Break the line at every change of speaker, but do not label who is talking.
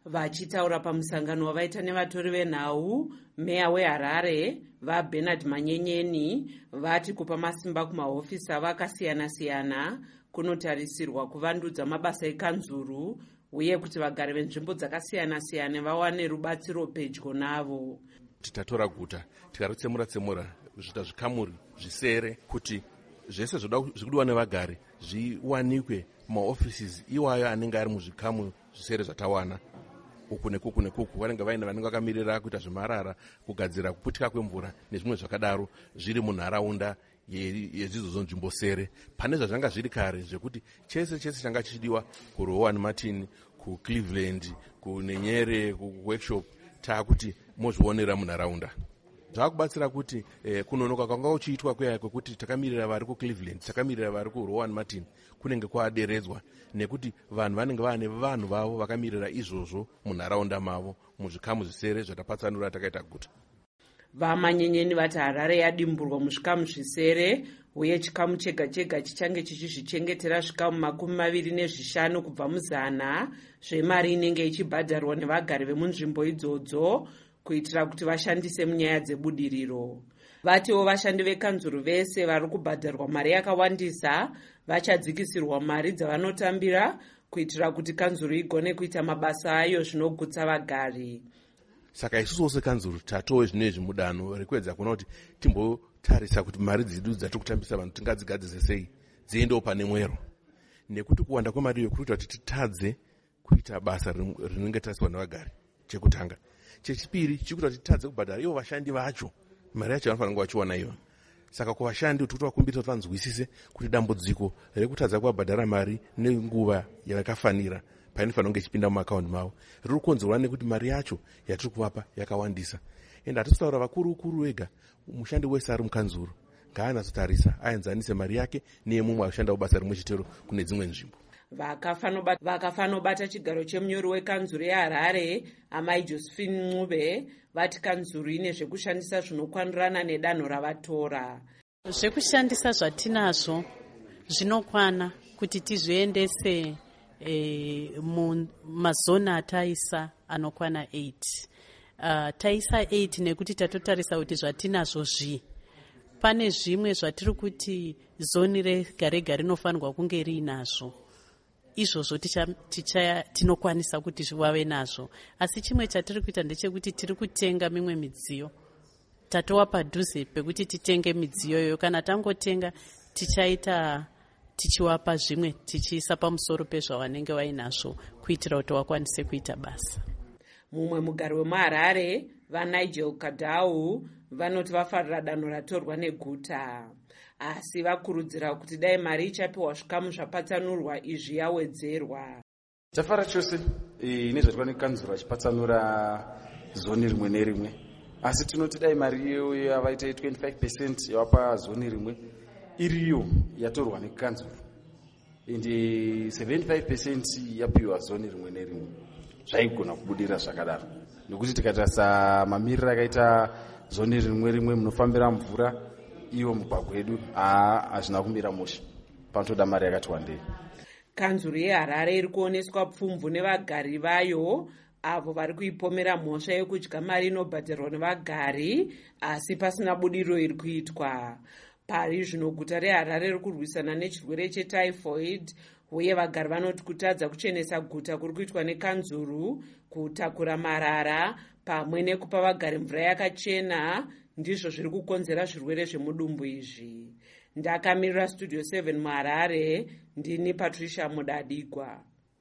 Vachitaura pamusangano wavaita nevatori venhau, meya weHarare, VaBernard Manyenyeni, vati kupa masimba kumahofisi avo akasiyana-siyana kunotarisirwa kuvandudza mabasa ekanzuru uye kuti vagari venzvimbo dzakasiyana-siyana vawane rubatsiro pedyo navo.
Tatora guta, tikaritsemura tsemura zviita zvikamuri zvisere, kuti zvese zvikudiwa nevagari zviwanikwe mumaoffices iwayo anenge ari muzvikamu zvisere zvatawana uku nekuku nekuku. Vanenge vaine vanenge vakamirira kuita zvemarara, kugadzira kuputika kwemvura nezvimwe zvakadaro, zviri munharaunda yedzidzodzo nzvimbo sere, pane zvazvanga zviri kare zvekuti chese chese changa chichidiwa kuRowan Martin, kuCleveland, kuNenyere, kuWorkshop. Taakuti mozvionera munharaunda. Zvakubatsira kuti kunonoka kwanga kuchiitwa kuya kwekuti takamirira vari kuCleveland, takamirira vari kuRowan Martin, kunenge kwaderedzwa nekuti vanhu vanenge vaane vanhu vavo vakamirira izvozvo munharaunda mavo, muzvikamu zvisere zvatapatsanura takaita guta.
VaManyenyeni vati Harare yadimburwa muzvikamu zvisere, uye chikamu chega chega chichange chichizvichengetera zvikamu 25 kubva muzana zvemari inenge ichibhadharwa nevagari vemunzvimbo idzodzo, kuitira kuti vashandise munyaya dzebudiriro. Vatiwo vashandi vekanzuru vese vari kubhadharwa mari yakawandisa vachadzikisirwa mari dzavanotambira, kuitira kuti kanzuru igone kuita mabasa ayo zvinogutsa vagari.
Saka isusuwo sekanzuru tatove zvino izvi mudanho rekuedza kuona kuti timbotarisa kuti mari dzedu dzatiri kutambisa vanhu tingadzigadzise sei, dziendewo pane mwero, nekuti kuwanda kwemari iyo kuri kuita kuti titadze kuita basa rinenge tariswa nevagari, chekutanga. Chechipiri, chiri kuita kuti titadze kubhadhara ivo vashandi vacho mari yacho vanofanira kunge vachiwana iyo. Saka kuvashandi tiri kutovakumbirisa kuti vanzwisise kuti dambudziko rekutadza kuvabhadhara mari nenguva yavakafanira painofanira kunge ichipinda mumaakaundi mavo riri kukonzerwa nekuti mari yacho yatiri kuvapa yakawandisa. Ende hatisi kutaura vakuru kuru vega. Mushandi wese ari mukanzuru ngaanatsotarisa, aenzanise mari yake neyemumwe ashandawo basa rimwe chetero kune dzimwe nzvimbo.
Vakafanobata chigaro chemunyori wekanzuru yeHarare, Amai Josephine Ncube, vati kanzuru ine zvekushandisa zvinokwanirana nedanho ravatora.
Zvekushandisa zvatinazvo zvinokwana kuti tizviendese mumazoni ataisa anokwana 8. Taisa 8 nekuti tatotarisa kuti zvatinazvo zvii. Pane zvimwe zvatiri kuti zoni rega rega rinofanirwa kunge riinazvo, izvozvo tinokwanisa kuti vave nazvo. Asi chimwe chatiri kuita ndechekuti tiri kutenga mimwe midziyo. Tatova padhuze pekuti titenge midziyo iyoyo. Kana tangotenga, tichaita tichiwapa zvimwe, tichiisa pamusoro pezvavanenge vainazvo, kuitira kuti vakwanise kuita basa.
Mumwe mugari wemuHarare, VaNigel Kadau, vanoti vafarira danho ratorwa neguta, asi vakurudzira kuti dai mari ichapiwa zvikamu zvapatsanurwa izvi yawedzerwa.
Tafara chose nezvaitwa nekanzuro vachipatsanura zoni rimwe nerimwe, asi tinoti dai mari iyoyo yavaita 25% yavapa zoni rimwe iriyo yatorwa nekanzuro, ende 75% yapiwa zoni rimwe nerimwe, zvaigona kubudira zvakadaro, nekuti tikatarisa mamiriro akaita zoni rimwe rimwe munofambira mvura, iwo mugwagwa wedu hazvina kumira mushe. Panotoda mari yakati wandei.
Kanzuru yeHarare iri kuoneswa pfumvu nevagari vayo, avo vari kuipomera mhosva yekudya mari inobhadharwa nevagari asi pasina budiriro iri kuitwa. Pari zvino guta reHarare riri kurwisana nechirwere chetyphoid, uye vagari vanoti kutadza kuchenesa guta kuri kuitwa nekanzuru, kutakura marara pamwe nekupa vagari mvura yakachena ndizvo zviri kukonzera zvirwere zvemudumbu izvi. Ndakamirira Studio 7 muHarare, ndini Patricia Mudadigwa.